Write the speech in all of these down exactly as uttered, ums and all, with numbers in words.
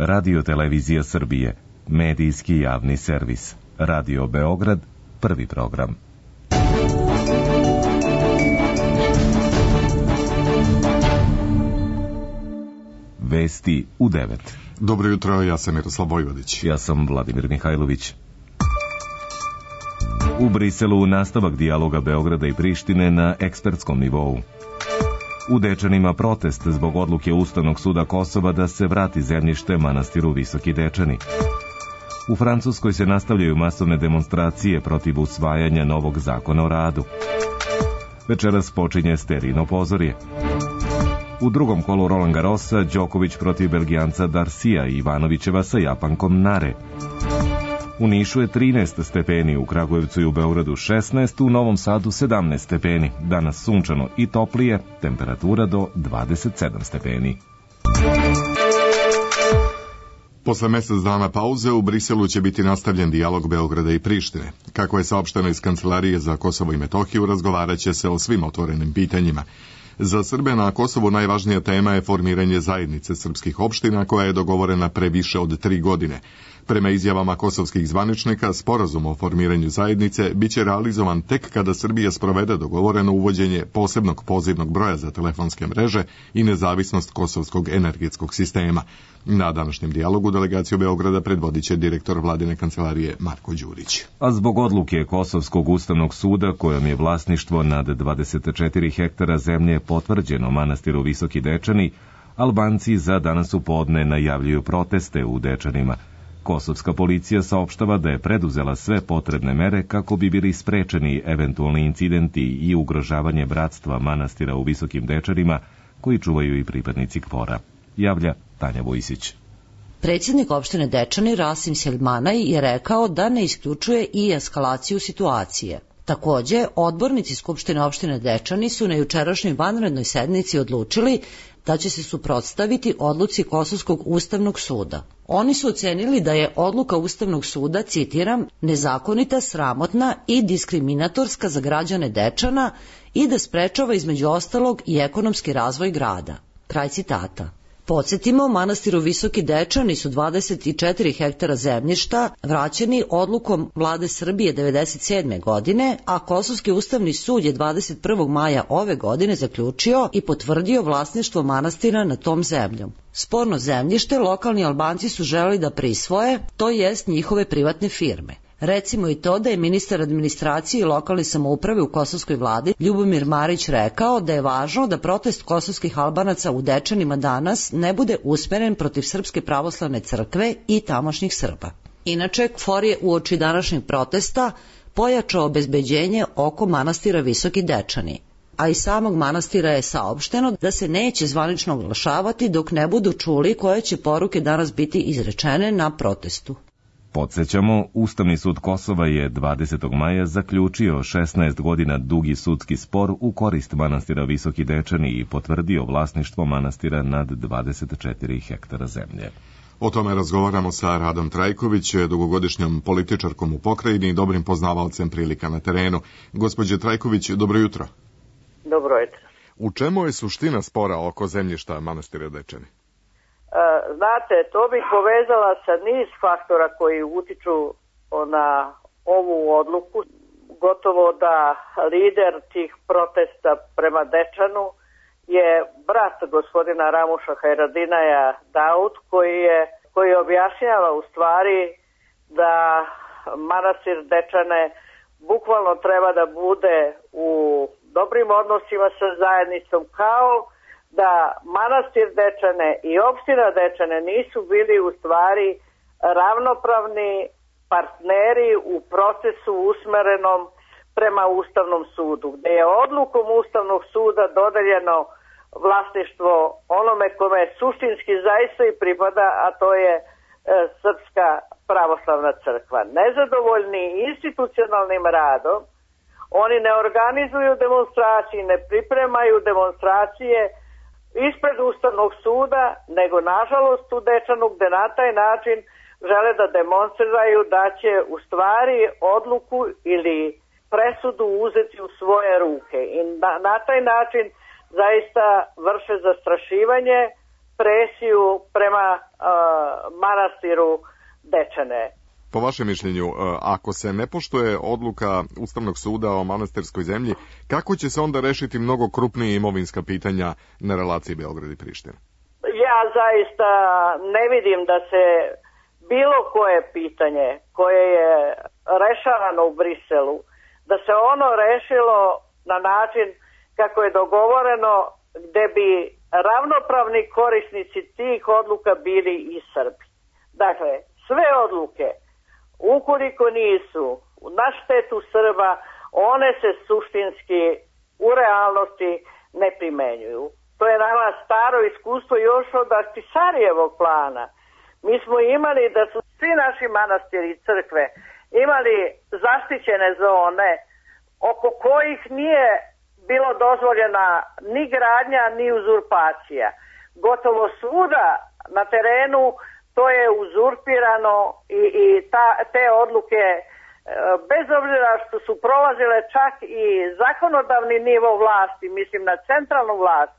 Radio-televizija Srbije, medijski javni servis. Radio Beograd, prvi program. Vesti u devet. Dobro jutro, ja sam Miroslav Vojvodić. Ja sam Vladimir Mihajlović. U Briselu nastavak dijaloga Beograda i Prištine na ekspertskom nivou. U Dečanima protest zbog odluke Ustavnog suda Kosova da se vrati zemljište manastiru Visoki Dečani. U Francuskoj se nastavljaju masovne demonstracije protiv usvajanja novog zakona o radu. Večeras počinje sterijno pozorje. U drugom kolu Roland Garrosa, Đoković protiv Belgijanca Darcija i Ivanovićeva sa Japankom Nare. U Nišu je trinaest stepeni, u Kragujevcu i u Beogradu šesnaest, u Novom Sadu sedamnaest stepeni. Danas sunčano i toplije, temperatura do dvadeset sedam stepeni. Posle mesec dana pauze u Briselu će biti nastavljen dijalog Beograda i Prištine. Kako je saopšteno iz Kancelarije za Kosovo i Metohiju, razgovarat će se o svim otvorenim pitanjima. Za Srbe na Kosovu najvažnija tema je formiranje zajednice srpskih opština koja je dogovorena pre više od tri godine. Prema izjavama kosovskih zvaničnika, sporazum o formiranju zajednice biće realizovan tek kada Srbija sprovede dogovoreno uvođenje posebnog pozivnog broja za telefonske mreže i nezavisnost kosovskog energetskog sistema. Na današnjem dijalogu delegaciju Beograda predvodit će direktor vladine kancelarije Marko Đurić. A zbog odluke Kosovskog ustavnog suda kojom je vlasništvo nad dvadeset četiri hektara zemlje potvrđeno manastiru Visoki Dečani, Albanci za danas u podne najavljuju proteste u Dečanima. Kosovska policija saopštava da je preduzela sve potrebne mere kako bi bili sprečeni eventualni incidenti i ugrožavanje bratstva manastira u Visokim Dečanima koji čuvaju i pripadnici KFOR-a. Javlja Tanja Vojsić. Predsjednik opštine Dečani Rasim Seljmanaj je rekao da ne isključuje i eskalaciju situacije. Takođe, odbornici Skupštine opštine Dečani su na jučerašnjoj vanrednoj sednici odlučili da će se suprotstaviti odluci Kosovskog ustavnog suda. Oni su ocenili da je odluka Ustavnog suda, citiram, nezakonita, sramotna i diskriminatorska za građane Dečana i da sprečava između ostalog i ekonomski razvoj grada. Kraj citata. Podsjetimo, manastiru Visoki Dečani su dvadeset četiri hektara zemljišta vraćeni odlukom vlade Srbije devedeset sedme godine, a Kosovski ustavni sud je dvadeset prvog maja ove godine zaključio i potvrdio vlasništvo manastira nad tom zemljom. Sporno zemljište lokalni Albanci su želeli da prisvoje, to jest njihove privatne firme. Recimo i to da je ministar administracije i lokalne samouprave u kosovskoj vladi Ljubomir Marić rekao da je važno da protest kosovskih Albanaca u Dečanima danas ne bude usmeren protiv Srpske pravoslavne crkve i tamošnjih Srba. Inače, KFOR je uoči današnjeg protesta pojačao obezbeđenje oko manastira Visoki Dečani, a iz samog manastira je saopšteno da se neće zvanično oglašavati dok ne budu čuli koje će poruke danas biti izrečene na protestu. Podsjećamo, Ustavni sud Kosova je dvadesetog maja zaključio šesnaest godina dugi sudski spor u korist manastira Visoki Dečani i potvrdio vlasništvo manastira nad dvadeset četiri hektara zemlje. O tome razgovaramo sa Radom Trajković, dugogodišnjom političarkom u pokrajini i dobrim poznavalcem prilika na terenu. Gospođe Trajković, dobro jutro. Dobro jutro. U čemu je suština spora oko zemljišta manastira Dečani? Znate, to bih povezala sa niz faktora koji utiču na ovu odluku. Gotovo da lider tih protesta prema Dečanu je brat gospodina Ramuša Hajradinaja Daud, koji je koji objašnjava u stvari da manastir Dečane bukvalno treba da bude u dobrim odnosima sa zajednicom, kao da manastir Dečane i opština Dečane nisu bili u stvari ravnopravni partneri u procesu usmerenom prema Ustavnom sudu, gde je odlukom Ustavnog suda dodeljeno vlasništvo onome kome je suštinski zaista i pripada, a to je e, Srpska pravoslavna crkva. Nezadovoljni institucionalnim radom, oni ne organizuju demonstracije, ne pripremaju demonstracije ispred Ustavnog suda, nego nažalost u Dečanu, gde na taj način žele da demonstriraju da će u stvari odluku ili presudu uzeti u svoje ruke i na, na taj način zaista vrše zastrašivanje presiju prema uh, manastiru Dečane. Po vašem mišljenju, ako se ne poštuje odluka Ustavnog suda o manastirskoj zemlji, kako će se onda rešiti mnogo krupnije imovinska pitanja na relaciji Beograd i Priština? Ja zaista ne vidim da se bilo koje pitanje koje je rešavano u Briselu, da se ono rešilo na način kako je dogovoreno, gde bi ravnopravni korisnici tih odluka bili i Srbi. Dakle, sve odluke, ukoliko nisu na štetu Srba, one se suštinski u realnosti ne primenjuju. To je nama staro iskustvo još od Ahtisarijevog plana. Mi smo imali da su svi naši manastiri i crkve imali zaštićene zone oko kojih nije bilo dozvoljena ni gradnja ni uzurpacija. Gotovo svuda na terenu to je uzurpirano i, i ta, te odluke, bez obzira što su prolazile čak i zakonodavni nivo vlasti, mislim na centralnu vlast,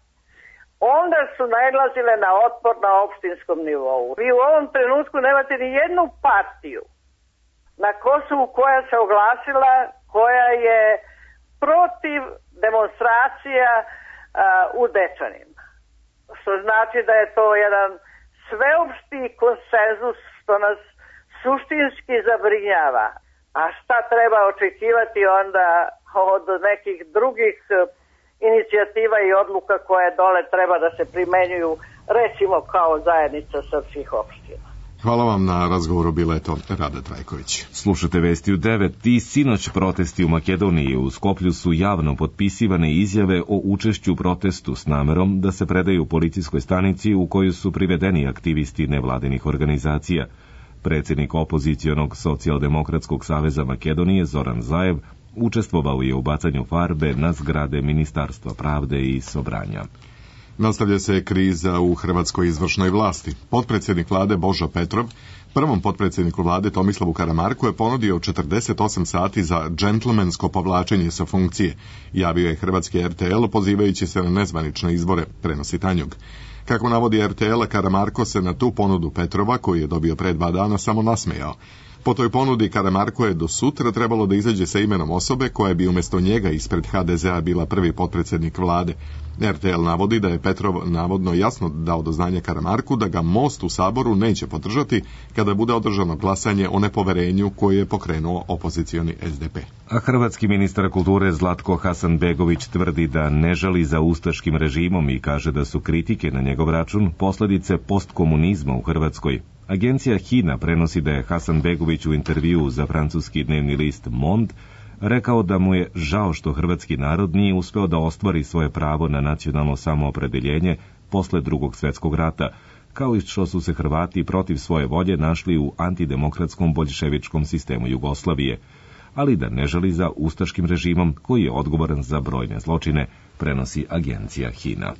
onda su nailazile na otpor na opštinskom nivou. Vi u ovom trenutku nemate ni jednu partiju na Kosovu koja se oglasila, koja je protiv demonstracija a, u Dečanima. Što znači da je to jedan sveopšti konsenzus što nas suštinski zabrinjava. A šta treba očekivati onda od nekih drugih inicijativa i odluka koje dole treba da se primenjuju, recimo kao zajednica srpskih opština. Hvala vam na razgovoru, bila je to Rada Trajković. Slušate Vesti u devet. I sinoć protesti u Makedoniji. U Skoplju su javno potpisivane izjave o učešću u protestu s namerom da se predaju policijskoj stanici u koju su privedeni aktivisti nevladinih organizacija. Predsjednik opozicionog Socijaldemokratskog saveza Makedonije Zoran Zaev učestvovao je u bacanju farbe na zgrade Ministarstva pravde i Sobranja. Nastavlja se kriza u hrvatskoj izvršnoj vlasti. Potpredsjednik vlade Božo Petrov prvom potpredsjedniku vlade Tomislavu Karamarku je ponudio četrdeset osam sati za džentlmensko povlačenje sa funkcije. Javio je hrvatski er te el pozivajući se na nezvanične izbore, prenosi Tanjug. Kako navodi er te el, Karamarko se na tu ponudu Petrova, koji je dobio pre dva dana, samo nasmejao. Po toj ponudi Karamarko je do sutra trebalo da izađe sa imenom osobe koja bi umjesto njega ispred ha de zea bila prvi potpredsjednik vlade. er te el navodi da je Petrov navodno jasno dao do znanja Karamarku da ga Most u Saboru neće podržati kada bude održano glasanje o nepoverenju koje je pokrenuo opozicioni es de pe. A hrvatski ministar kulture Zlatko Hasanbegović tvrdi da ne žali za ustaškim režimom i kaže da su kritike na njegov račun posljedice postkomunizma u Hrvatskoj. Agencija Hina prenosi da je Hasanbegović u intervjuu za francuski dnevni list Monde rekao da mu je žao što hrvatski narod nije uspeo da ostvari svoje pravo na nacionalno samoopredeljenje posle drugog svjetskog rata, kao i što su se Hrvati protiv svoje volje našli u antidemokratskom boljševičkom sistemu Jugoslavije, ali da ne žali za ustaškim režimom koji je odgovoran za brojne zločine, prenosi agencija Hina.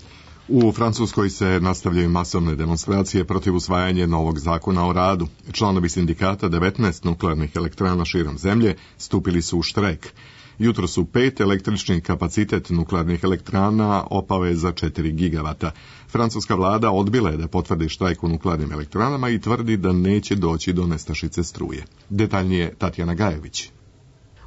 U Francuskoj se nastavljaju masovne demonstracije protiv usvajanja novog zakona o radu. Članovi sindikata devetnaest nuklearnih elektrana širom zemlje stupili su u štrajk. Jutro su pet električni kapacitet nuklearnih elektrana opao je za četiri gigavata. Francuska vlada odbila je da potvrdi štrajk u nuklearnim elektranama i tvrdi da neće doći do nestašice struje. Detaljnije Tatjana Gajević.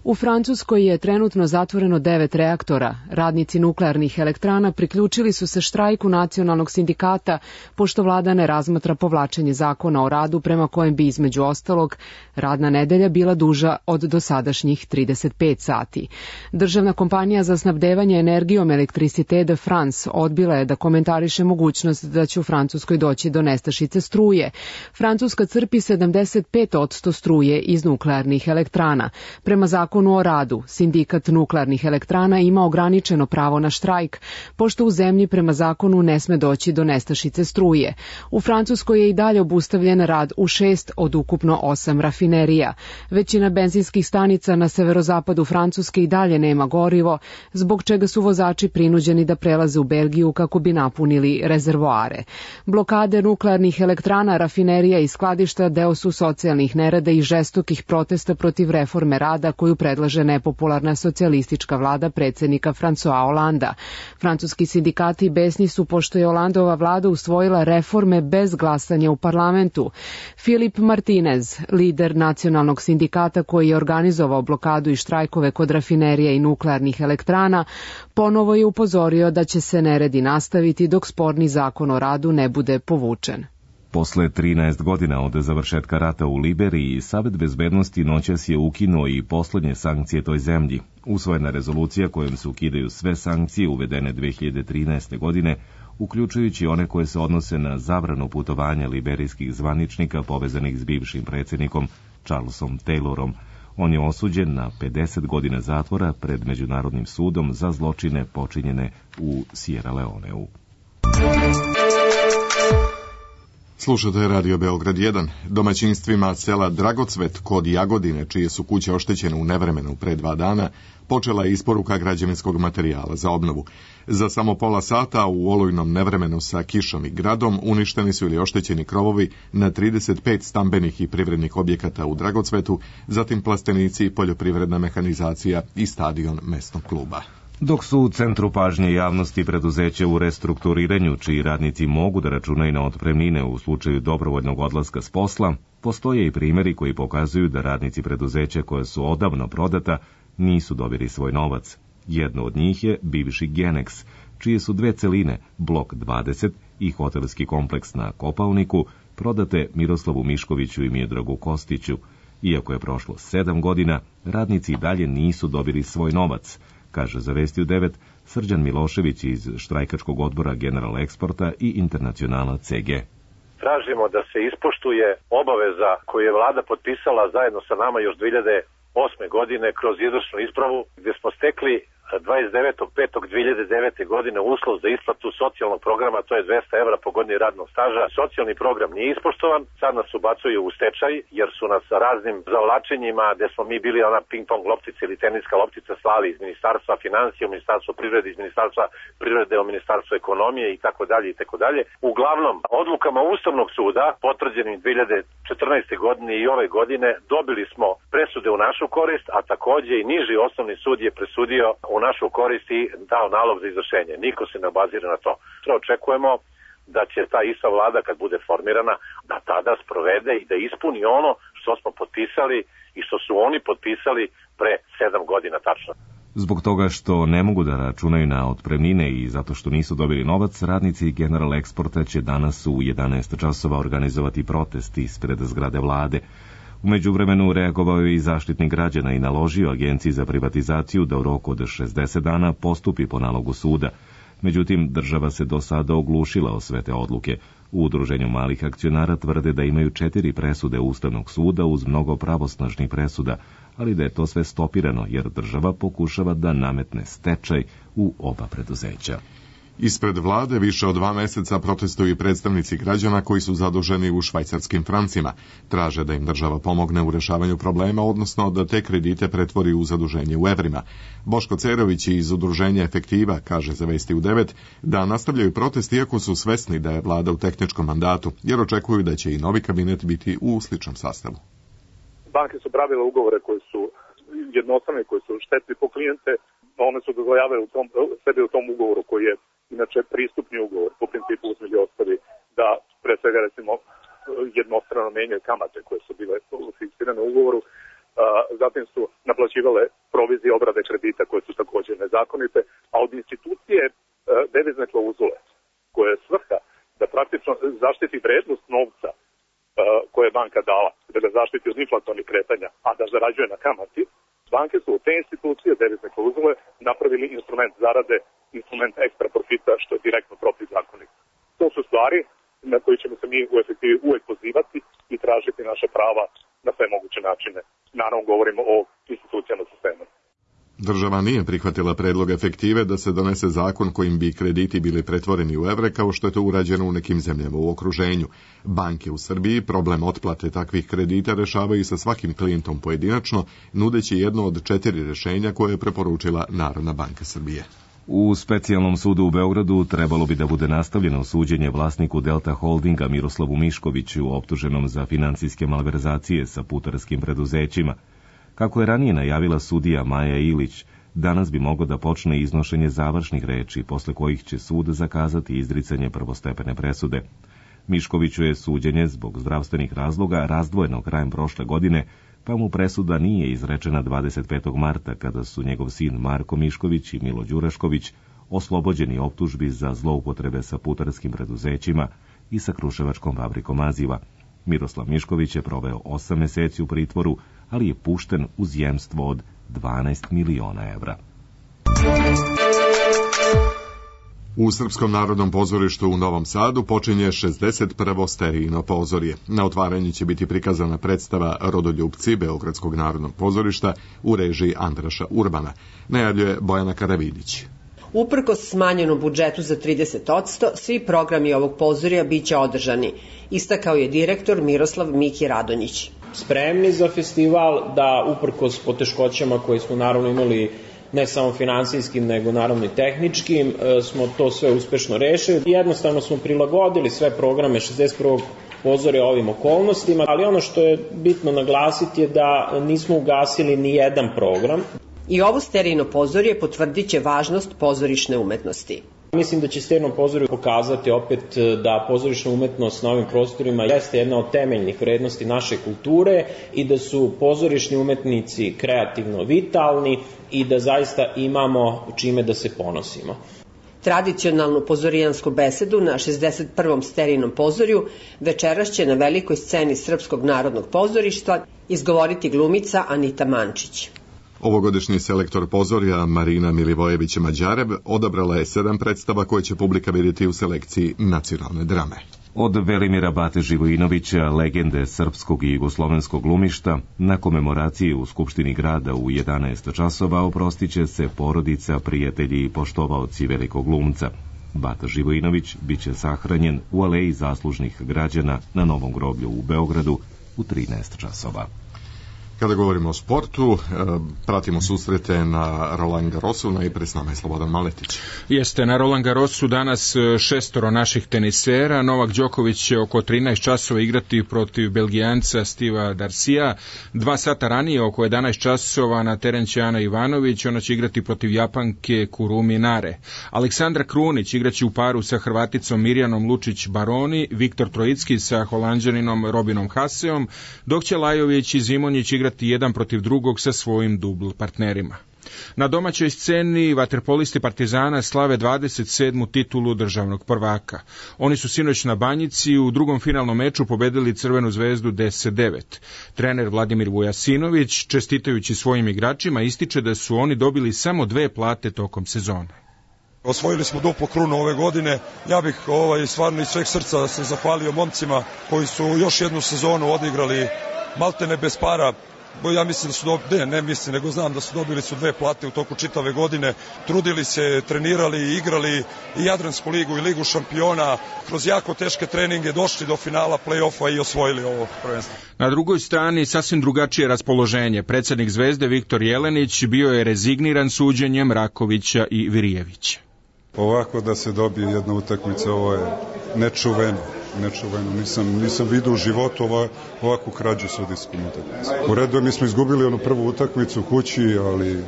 U Francuskoj je trenutno zatvoreno devet reaktora. Radnici nuklearnih elektrana priključili su se štrajku nacionalnog sindikata, pošto vlada ne razmatra povlačenje zakona o radu prema kojem bi između ostalog radna nedelja bila duža od dosadašnjih trideset pet sati. Državna kompanija za snabdevanje energijom Electricité de France odbila je da komentariše mogućnost da će u Francuskoj doći do nestašice struje. Francuska crpi sedamdeset pet posto struje iz nuklearnih elektrana. Prema zakonu o radu, sindikat nuklearnih elektrana ima ograničeno pravo na štrajk, pošto u zemlji prema zakonu ne sme doći do nestašice struje. U Francuskoj je i dalje obustavljen rad u šest od ukupno osam rafinerija. Većina benzinskih stanica na severozapadu Francuske i dalje nema gorivo, zbog čega su vozači prinuđeni da prelaze u Belgiju kako bi napunili rezervoare. Blokade nuklearnih elektrana, rafinerija i skladišta deo su socijalnih nerada i žestokih protesta protiv reforme rada koju predlaže nepopularna socijalistička vlada predsednika François Hollanda. Francuski sindikati besni su pošto je Hollandova vlada usvojila reforme bez glasanja u parlamentu. Filip Martinez, lider nacionalnog sindikata koji je organizovao blokadu i štrajkove kod rafinerija i nuklearnih elektrana, ponovo je upozorio da će se neredi nastaviti dok sporni zakon o radu ne bude povučen. Posle trinaest godina od završetka rata u Liberiji, Savet bezbednosti noćas je ukinuo i poslednje sankcije toj zemlji. Usvojena rezolucija kojom se ukidaju sve sankcije uvedene dve hiljade trinaeste. godine, uključujući one koje se odnose na zabranu putovanja liberijskih zvaničnika povezanih s bivšim predsjednikom Charlesom Taylorom. On je osuđen na pedeset godina zatvora pred Međunarodnim sudom za zločine počinjene u Sierra Leoneu. Slušate Radio Beograd jedan. Domaćinstvima sela Dragocvet kod Jagodine, čije su kuće oštećene u nevremenu pre dva dana, počela je isporuka građevinskog materijala za obnovu. Za samo pola sata u olujnom nevremenu sa kišom i gradom uništeni su ili oštećeni krovovi na trideset pet stambenih i privrednih objekata u Dragocvetu, zatim plastenici, poljoprivredna mehanizacija i stadion mesnog kluba. Dok su u centru pažnje javnosti preduzeće u restrukturiranju, čiji radnici mogu da računaju na otpremnine u slučaju dobrovoljnog odlaska s posla, postoje i primjeri koji pokazuju da radnici preduzeća koja su odavno prodata nisu dobili svoj novac. Jedno od njih je bivši Genex, čije su dve celine, blok dvadeset i hotelski kompleks na Kopaoniku, prodate Miroslavu Miškoviću i Miodragu Kostiću. Iako je prošlo sedam godina, radnici i dalje nisu dobili svoj novac, kaže za Vesti u devet Srđan Milošević iz štrajkačkog odbora General Eksporta i Internacionala C G. Tražimo da se ispoštuje obaveza koju je vlada potpisala zajedno sa nama još dve hiljade osme. godine kroz izvršnu ispravu, gdje smo stekli dvadeset devetog petog dve hiljade devete. godine uslov za isplatu socijalnog programa, to je dvesta evra po godini radnog staža. Socijalni program nije ispoštovan, sad nas ubacuju u stečaj, jer su nas raznim zavlačenjima, gde smo mi bili ona ping-pong loptica ili teniska loptica, slali iz Ministarstva financija, u Ministarstvo privrede, iz Ministarstva privrede, u Ministarstvo ekonomije i tako dalje i tako dalje. Uglavnom, odlukama Ustavnog suda, potvrđenim dve hiljade četrnaeste. godine i ove godine, dobili smo presude u našu korist, a takođe i niži osnovni sud je presudio u našu korist i dao nalog za izvršenje. Niko se ne obazire na to. Što očekujemo da će ta ista vlada kad bude formirana da tada sprovede i da ispuni ono što smo potpisali i što su oni potpisali pre sedam godina tačno. Zbog toga što ne mogu da računaju na otpremnine i zato što nisu dobili novac, radnici General Eksporta će danas u jedanaest časova organizovati protest ispred zgrade vlade. U međuvremenu reagovao je i Zaštitnik građana i naložio Agenciji za privatizaciju da u roku od šezdeset dana postupi po nalogu suda. Međutim, država se do sada oglušila o sve te odluke. U Udruženju malih akcionara tvrde da imaju četiri presude Ustavnog suda uz mnogo pravosnažnih presuda, ali da je to sve stopirano jer država pokušava da nametne stečaj u oba preduzeća. Ispred vlade više od dva meseca protestuju i predstavnici građana koji su zaduženi u švajcarskim francima. Traže da im država pomogne u rešavanju problema, odnosno da te kredite pretvori u zaduženje u evrima. Boško Cerović iz Udruženja Efektiva kaže za Vesti u devet da nastavljaju protest iako su svesni da je vlada u tehničkom mandatu, jer očekuju da će i novi kabinet biti u sličnom sastavu. Banke su pravile ugovore koji su jednostavne, koji su štetni po klijente, one su dozvoljavale u tom, sebe u tom ugovoru koji je inače pristupni ugovor, po principu uzme ostavi da pre svega recimo jednostrano menjaju kamate koje su bile fiksirane u ugovoru, zatim su naplaćivale provizije obrade kredita koje su također nezakonite, a od institucije devizne klauzule koje je svrha da praktično zaštiti vrednost novca koje je banka dala, da ga zaštiti od inflatornih kretanja, a da zarađuje na kamati, banke su od te institucije devizne klauzule napravili instrument zarade, instrument ekstra profita, što je direktno protivzakonito. To su stvari na koje ćemo se mi u efektivi uvek pozivati i tražiti naše prava na sve moguće načine. Naravno, govorimo o institucijama sistema. Država nije prihvatila predlog Efektive da se donese zakon kojim bi krediti bili pretvoreni u evre, kao što je to urađeno u nekim zemljama u okruženju. Banke u Srbiji problem otplate takvih kredita rešavaju sa svakim klijentom pojedinačno, nudeći jedno od četiri rešenja koje je preporučila Narodna banka Srbije. U specijalnom sudu u Beogradu trebalo bi da bude nastavljeno suđenje vlasniku Delta Holdinga Miroslavu Miškoviću, optuženom za finansijske malverzacije sa putarskim preduzećima. Kako je ranije najavila sudija Maja Ilić, danas bi moglo da počne iznošenje završnih reči, posle kojih će sud zakazati izricanje prvostepene presude. Miškoviću je suđenje zbog zdravstvenih razloga razdvojeno krajem prošle godine, pa mu presuda nije izrečena dvadeset petog marta, kada su njegov sin Marko Mišković i Milo Đurašković oslobođeni optužbi za zloupotrebe sa putarskim preduzećima i sa kruševačkom fabrikom maziva. Miroslav Mišković je proveo osam meseci u pritvoru, ali je pušten uz jemstvo od dvanaest miliona evra. U Srpskom narodnom pozorištu u Novom Sadu počinje šezdeset prvo sterijino pozorje. Na otvaranju će biti prikazana predstava Rodoljupci Beogradskog narodnog pozorišta u režiji Andraša Urbana, najavljuje Bojana Karavidić. Uprkos smanjenom budžetu za trideset posto, svi programi ovog pozorja biće održani, istakao je direktor Miroslav Miki Radonjić. Spremni za festival, da uprkos poteškoćama koje smo naravno imali ne samo finansijskim, nego naravno i tehničkim, smo to sve uspešno rešili. Jednostavno smo prilagodili sve programe šezdeset prvog pozorja ovim okolnostima, ali ono što je bitno naglasiti je da nismo ugasili ni jedan program. I ovo sterijino pozorje potvrdit će važnost pozorišne umetnosti. Mislim da će sterijno pozorje pokazati opet da pozorišna umetnost na ovim prostorima jeste jedna od temeljnih vrednosti naše kulture i da su pozorišni umetnici kreativno vitalni i da zaista imamo čime da se ponosimo. Tradicionalnu pozorijansku besedu na šezdeset prvom sterijinom pozorju večeras će na velikoj sceni Srpskog narodnog pozorišta izgovoriti glumica Anita Mančić. Ovogodišnji selektor pozorja Marina Milivojević-Mađarev odabrala je sedam predstava koje će publika vidjeti u selekciji nacionalne drame. Od Velimira Bate Živojinovića, legende srpskog i jugoslovenskog glumišta, na komemoraciji u Skupštini grada u jedanaest časova oprostiće se porodica, prijatelji i poštovaoci velikog glumca. Bata Živojinović biće sahranjen u aleji zaslužnih građana na Novom groblju u Beogradu u trinaest časova. Kada govorimo o sportu, pratimo susrete na Roland Garrosu, najpre s nama je Slobodan Maletić. Jeste, na Roland Garrosu danas šestoro naših tenisera. Novak Đoković će oko trinaest časova igrati protiv Belgijanca Steva Darcija. Dva sata ranije, oko jedanaest časova, na teren će Ana Ivanović, ona će igrati protiv Japanke Kurumi Nare. Aleksandra Krunić igraće u paru sa Hrvaticom Mirjanom Lučić-Baroni, Viktor Trojicki sa Holanđaninom Robinom Haseom, dok će Lajović i Zimonjić igrati jedan protiv drugog sa svojim dubl partnerima. Na domaćoj sceni vaterpolisti Partizana slave dvadeset sedmu titulu državnog prvaka. Oni su sinoć na Banjici u drugom finalnom meču pobedili Crvenu zvezdu deset devet. Trener Vladimir Vujasinović, čestitajući svojim igračima, ističe da su oni dobili samo dve plate tokom sezone. Osvojili smo duplu krunu ove godine. Ja bih ovaj, stvarno iz sveg srca se zahvalio momcima koji su još jednu sezonu odigrali maltene bez para. Ja mislim da su dobili, ne, ne mislim, nego znam da su dobili su dve plate u toku čitave godine, trudili se, trenirali, igrali i Jadransku ligu i Ligu šampiona, kroz jako teške treninge došli do finala play-offa i osvojili ovo prvenstvo. Na drugoj strani sasvim drugačije raspoloženje. Predsednik Zvezde Viktor Jelenić bio je rezigniran suđenjem Rakovića i Virijevića. Ovako da se dobije jedna utakmica, ovo je nečuveno. nečuveno. Nisam, nisam vidio u životu ova, ovakvu krađu sudijskom utakmicu. U redu, mi smo izgubili onu prvu utakmicu u kući, ali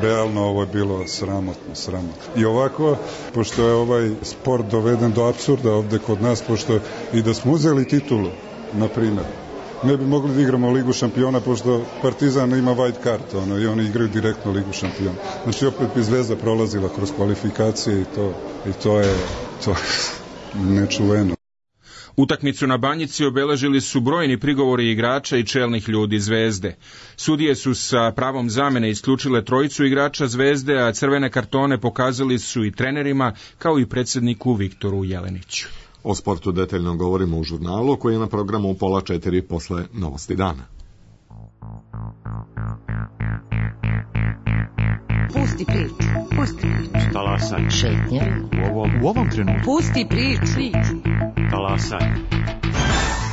realno ovo je bilo sramotno, sramotno. I ovako, pošto je ovaj sport doveden do apsurda ovde kod nas, pošto i da smo uzeli titulu, na primjer, ne bi mogli da igramo Ligu šampiona, pošto Partizan ima white card, ono, i oni igraju direktno Ligu šampiona. Znači, opet bi Zvezda prolazila kroz kvalifikacije i to, i to je to nečuveno. Utakmicu na Banjici obeležili su brojni prigovori igrača i čelnih ljudi Zvezde. Sudije su sa pravom zamene isključile trojicu igrača Zvezde, a crvene kartone pokazali su i trenerima, kao i predsjedniku Viktoru Jeleniću. O sportu detaljno govorimo u žurnalu koji je na programu u pola četiri posle Novosti dana. Pusti priču, pusti priču. Talasaj. Šetnje. U ovom, u ovom trenutku. Pusti priču. Talasaj.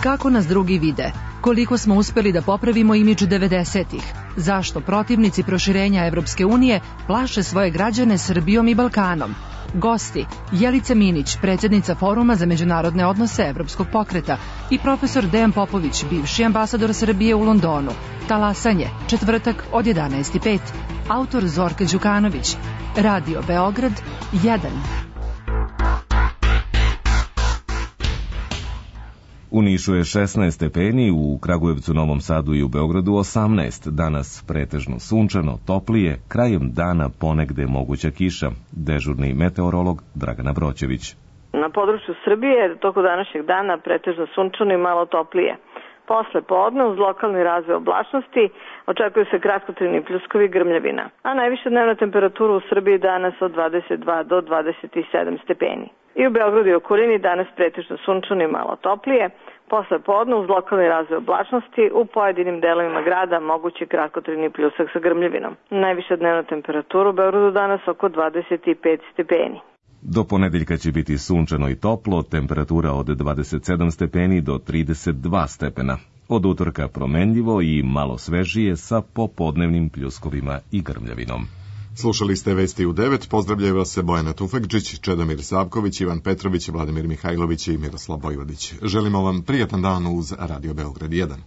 Kako nas drugi vide? Koliko smo uspeli da popravimo imidž devedesetih? Zašto protivnici proširenja Evropske unije plaše svoje građane Srbijom i Balkanom? Gosti: Jelica Minić, predsjednica Foruma za međunarodne odnose Evropskog pokreta, i profesor Dejan Popović, bivši ambasador Srbije u Londonu. Talasanje, četvrtak od jedanaest i pet. Autor Zorka Đukanović. Radio Beograd jedan. U Nišu je šesnaest stepeni, u Kragujevcu, Novom Sadu i u Beogradu osamnaest. Danas pretežno sunčano, toplije, krajem dana ponegde moguća kiša. Dežurni meteorolog Dragana Broćević. Na području Srbije toko današnjeg dana pretežno sunčano i malo toplije. Posle podne, uz lokalni razvoj oblačnosti, očekuju se kratkotrajni pljuskovi i grmljavina, a najviša dnevna temperatura u Srbiji danas od dvadeset dva do dvadeset sedam stepeni. I u Beogradu i okolini danas pretežno sunčano i malo toplije. Posle podne, uz lokalni razvoj oblačnosti, u pojedinim delovima grada mogući kratkotrajni pljusak sa grmljavinom. Najviša dnevna temperatura u Beogradu danas oko dvadeset pet stepeni. Do ponedeljka će biti sunčano i toplo, temperatura od dvadeset sedam stepeni do trideset dva stepena. Od utorka promenljivo i malo svežije sa popodnevnim pljuskovima i grmljavinom. Slušali ste Vesti u devet, pozdravljaju vas se Bojana Tufekđić, Čedomir Savković, Ivan Petrović, Vladimir Mihajlović i Miroslav Vojvodić. Želimo vam prijatan dan uz Radio Beograd jedan.